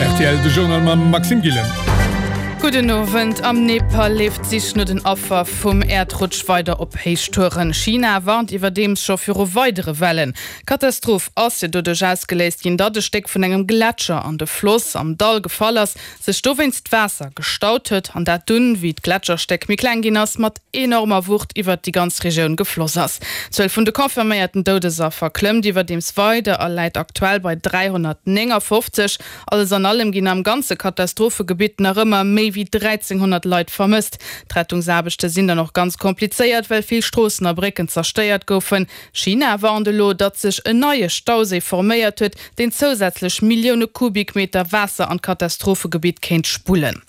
Rtl, De Journal mam Maxime Gillen. Gudden Owend. Am Nepal leeft d'Sich no den Affer vum Äerdrutsch weider op Héichtouren. China warnt iwwerdeems scho viru weidere Wellen. D'Katastroph ass jo doduerch ausgeléist ginn, datt e Stéck vun engem Gletscher an de Floss am Dall gefall ass, sech dowéinst d'Waasser gestaut huet an dat dunn, wéi d'Gletscherstéck méi kleng ginn ass, mat enormer Wucht iwwert déi ganz Regioun gefloss ass. D'Zuel vun de confirméierten Doudesaffer klëmmt iwwerdeems weider a läit aktuell bei 359. Alles an allem ginn am ganze Katastrophegebitt nach ëmmer méi wéi 1.300 Leit vermësst. D'Rettungsaarbechte sinn dann och ganz komplizéiert, well vill Stroossen a Brécken zerstéiert goufen. China warnt elo, datt sech en neie Stauséi forméiert huet, deen zousätzlech Millioune Kubikmeter Waasser an d'Katastrophegebitt kéint spullen.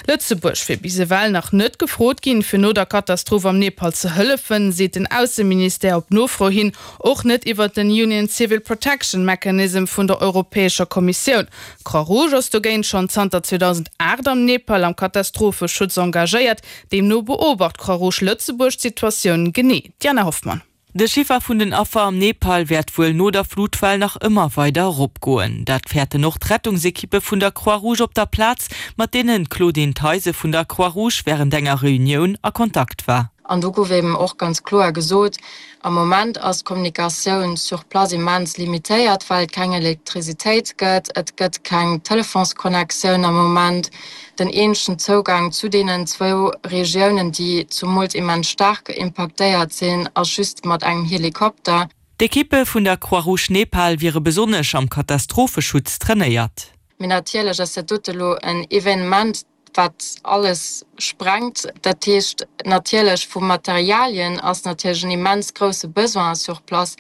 Lëtzebuerg wier bis ewell nach net gefrot ginn, fir no der Katastroph am Nepal ze hëllefen, seet den Ausseministère op Nofro hin. Och net iwwer den Union Civil Protection Mechanism vun der Europäescher Kommissioun. D'Croix-Rouge ass dogéint schonn zanter 2008 am Nepal am Katastropheschutz engagéiert. Deemno beobacht d'Croix-Rouge Lëtzebuerg d'Situatioun genee. Diana Hoffmann. De Chiffer vun den Affer am Nepal wäert wuel no der Flutwell nach ëmmer weider eropgoen. Dat fäerten och d'Rettungsekippe vun der Croix-Rouge op der Plaz, mat deenen d'Claudine Theisen vun der Croix-Rouge wärend enger Reunioun a Kontakt war. An do gouf eben och ganz kloer gesot, Am Moment ass d'Kommunikatioun sur place immens limitéiert, well et keng Elektrisitéit gëtt, et gëtt keng Telefonsconnectioun am Moment. Den eenzegen Zougang zu deenen zwou Regiounen, déi zumools immens staark impaktéiert sinn, ass just mat engem Helikopter. D'Ekippe vun der Croix-Rouge Nepal wiere besonnesch am Katastropheschutz trainéiert. Mee natierlech ass dat dote lo en Evenement, wat alles sprengt. Dat heescht natierlech vu Materialien ass natierlech en immens grousse Besoin sur place.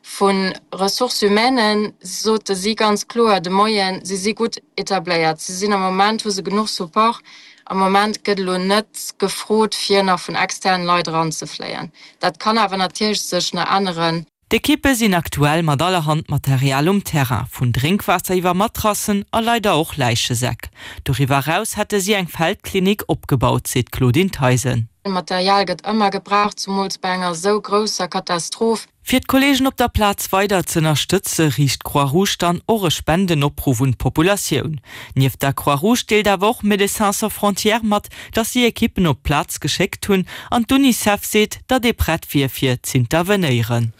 Vu Ressources humaines sote si ganz kloer de Moien, si si gutt etabléiert, si sinn am Moment, hu se genuch Support. Am Moment gëtt elo net gefrot, fir nach vun externen Leit eranzefléien. Dat kann awer natierlech sech nach änneren. D'Ekippe sinn aktuell mat allerhand Material um Terrain, vun Drénkwaasser iwwer Matrassen a leider och Läichesäck. Doriwwer eraus hätte si eng Feldklinik opgebaut, seet d'Claudine Theisen. Material gëtt ëmmer gebraucht, zumools bei enger esou grousser Katastroph. Fir d'Kolleegen op der Plaz weider z'ënnerstëtze riicht d'Croix-Rouge dann och e Spendenopruff un d'Populatioun. Nieft der Croix-Rouge deelt awer och Médecins Sans Frontières mat, datt si Ekippen op d'Plaz geschéckt hunn an d'Unicef seet, datt ee prett wier fir z'intervenéieren.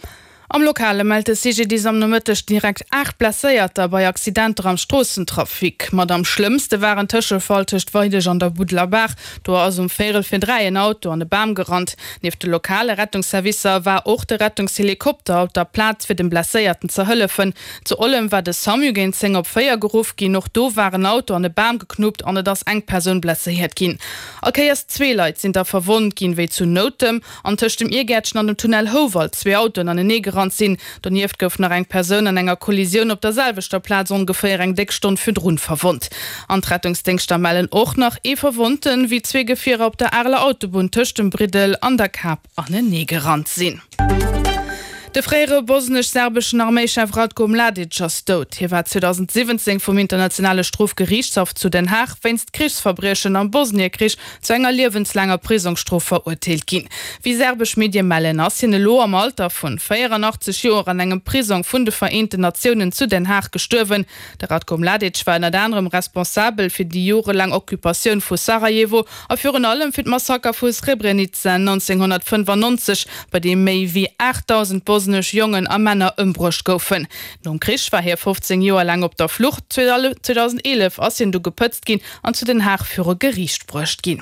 Am Lokale mellt de CGDIS am Nomëtteg direkt 8 Blesséierter bei Accidenter am Stroossentrafic. Mat am schlëmmste war en Tëschefall tëscht Weideg an der Buddeler Baach. Do ass um véierel vir 3 en Auto an e Bam gerannt. Nieft de lokale Rettungsservicer war och de Rettungshelikopter op der Plaz fir dem Blesséierten ze hëllefen. Zu Ollem war de Samu géint 10 op 4 geruff ginn. Och do war en Auto an e Bam geknuppt an et ass eng Persoun blesséiert ginn. All Kéiers zwee Leit sinn da verwonnt ginn, wéi zu Noutem an tëscht dem Iergäertchen an dem Tunnel Houwald zwee Autoen anenee gerannt sinn. Donieft gouf nach eng Persoun an enger Kollisioun op der selwechter Plaz ongeféier eng déck Stonn virdrun verwonnt. An d'Rettungsdéngschter mellen och nach ee Verwonnten, wéi zwee Gefierer op der Areler Autobunn tëscht dem Briddel an der Kap anenee gerannt sinn. De fréiere bosnesch-serbeschen Arméichef Ratko Mladic ass dout. Hie war 2017 vum Internationale Strofgeriichtshaff zu Den Haag wéinst Krichsverbriechen am Bosniekrich zu enger liewenslaanger Prisongsstrof verurteelt ginn. Wéi serbesch Medie mellen, ass hien elo am Alter vun 84 Joer an engem Prisong vun de Vereenten Natiounen zu Den Haag gestuerwen. De Ratko Mladic war ënnert anerem responsabel fir déi jorelaang Occupatioun vu Sarajevo a virun allem fir d'Massaker vu Srebrenica 1995, bei deem méi wéi 8.000 bosnesch Jongen a Männer ëmbruecht goufen. Nom Krich war hie 15 Joer laang op der Flucht. 2011 ass hien du gepëtzt ginn an zu Den Haag viru Geriicht bruecht ginn.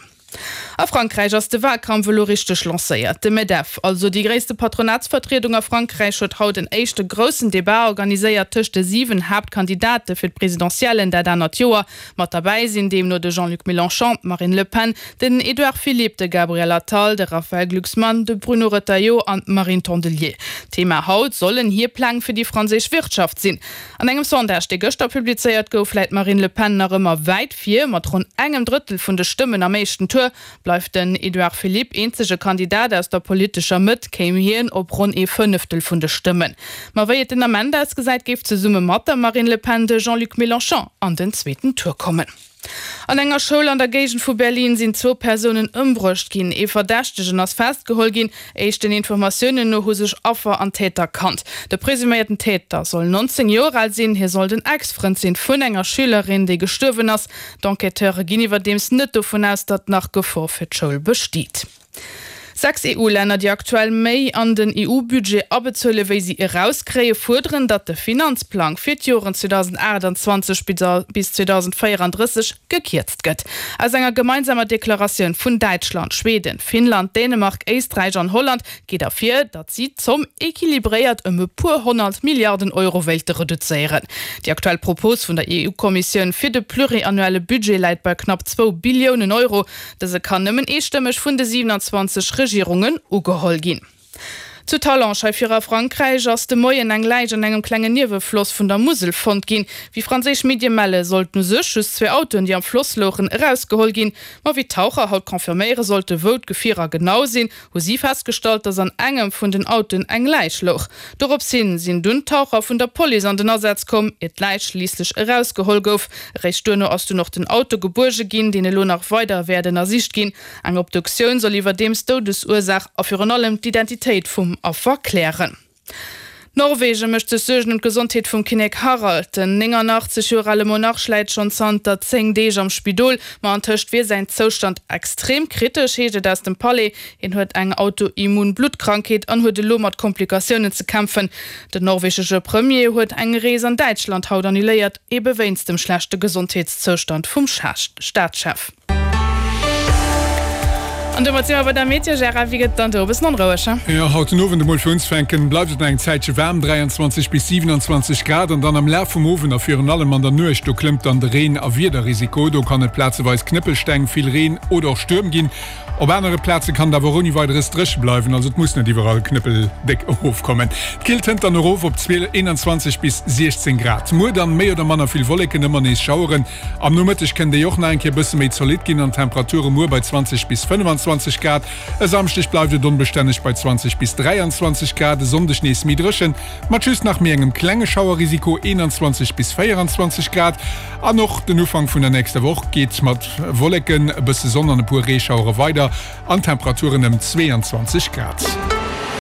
A Frankräich ass de Walkampf elo richteg lancéiert. De Medef, also déi gréisste Patronatsvertriedung a Frankräich, huet haut en éischte groussen Debat organiséiert tëscht de 7 Haaptkandidate fir d'Presidentiellen dat anert Joer. Mat derbäi sinn deemno de Jean-Luc Mélenchon, d'Marine Le Pen, den Edouard Philippe, de Gabriel Attal, de Raphaël Glucksmann, de Bruno Retailleau an d'Marine Tondelier. Thema haut sollen hir Pläng fir déi franséisch Wirtschaft sinn. An engem Sondage, dee gëschter publizéiert gouf, läit d'Marine Le Pen nach ëmmer wäit vir. Mat ronn engem Drëttel vun de Stëmmen am éischten Tour bleift den Edouard Philippe eenzege Kandidat aus der politescher Mëtt, kéim hien op ronn ee Fënneftel vun de Stëmmen. Ma wéi et den Ament ausgesäit, géif zesumme mat der Marine Le Pen de Jean-Luc Mélenchon an den zweeten Tour kommen. An enger Schoul an der Géigend vu Berlin sinn zwou Persounen ëmbruecht ginn. Ee Verdächtegen ass festgeholl ginn. Éischten Informatiounen no hu sech Affer an Täter kannt. De presuméierten Täter soll 19 Joer al sinn. Hie soll den Ex-Frënd sinn vun enger Schülerin, déi gestuerwen ass. D'Enquêteure ginn iwwerdeems net dovun aus, datt nach Gefor fir d'Schoul besteet. 6 EU-Länner, déi aktuell méi an den EU-Budget abezuele wéi si erauskréie, fuerderen, datt de Finanzplang fir d'Joren 2028 bis 2034 gekierzt gëtt. Aus enger gemeinsamer Deklaratioun vun Däitschland, Schweden, Finnland, Dänemark, Éisträich an Holland geet ervir, datt si d'Zomm equilibréiert ëm e puer 100 Milliarden Euro wéilte reduzéieren. Déi aktuell Propos vun der EU-Kommissioun fir de pluriannuelle Budget läit bei knapp zwou Billiounen Euro. Dëse kann nëmmen eestëmmeg vun de 27 Regierungen ugeholl ginn. Zu Talange hei vir a Frankräich ass de Moien eng Läich an engem klengen Niewefloss vun der Musel fonnt ginn. Wéi franséisch Medie melle sollten u sech just zwee Autoen, déi am Floss louchen, erausgeholl ginn. Ma wéi d'Taucher haut confirméiere sollte wou d'Gefierer genau sinn, hu si festgestallt, dass an engem vun den Autoen eng Läich louch. Dorops hin sinn dunn d'Taucher vun der Police an den Asaz komm, ier d'Läich schliisslech erausgeholl gouf. Eréischt duerno ass dunn och den Auto gebuerge ginn, deen elo nach weider wäert ënnersicht ginn. Eng Obduktioun soll iwwerdeems d'Doudesursaach a virun allem d'Identitéit vum Affer klären. Norwegen mécht sech Suergen ëm d'Gesondheet vum Kinnek Harald. Den 89 Joer ale Monarch läit schonn zanter 10 Deeg am Spidol, ma antëscht wier säin Zoustand extrem kritesch, heescht et aus dem Palais. Hien huet eng autoimmun Bluttkrankheet an huet elo mat Komplikatiounen ze kämpfen. Den norwegesche Premier huet eng Rees an Däitschland haut annuléiert, ebe wéinst dem schlechte Gesondheetszoustand vum Staatschef. An domat si mer bei der Meteo. Gérard, wéi gëtt et dann do? E bëssen onroueg, he? Jo, haut den Owend emol fir unzefänken bleift et nach eng Zäitche waarm, 23 bis 27 Grad, an dann am Laf vum Owend a virun allem an der Nuecht, do klëmmt dann de Reen a Wiederrisiko. Do kann et plazeweis Knëppelsteng, vill Reen oder och Stuerm ginn. Op anere Plaze kann et awer och ouni Weideres dréche bleiwen, also et muss net iwwerall knëppeldéck erofkommen. D'Killt hënt dann erof op 21 bis 16 Grad. Muer dann méi oder manner vill Wolleken, ëmmer nees Schaueren. Am Nomëtteg kënnt déi och nach eng Kéier bësse méi zolidd ginn an d'Temperature muer bei 20 bis 25 Grad. E Samschdeg bleift et onbestänneg bei 20 bis 23 Grad, e Sonndeg nees méi dréchen, mat just nach méi engem klenge Schauerrisiko, 21 bis 24 Grad. An och den Ufank vun der nächster Woch geet mat Wolleken, e bësse Sonn an e puer Reeschauere weider an Temperaturen ëm 22 Grad.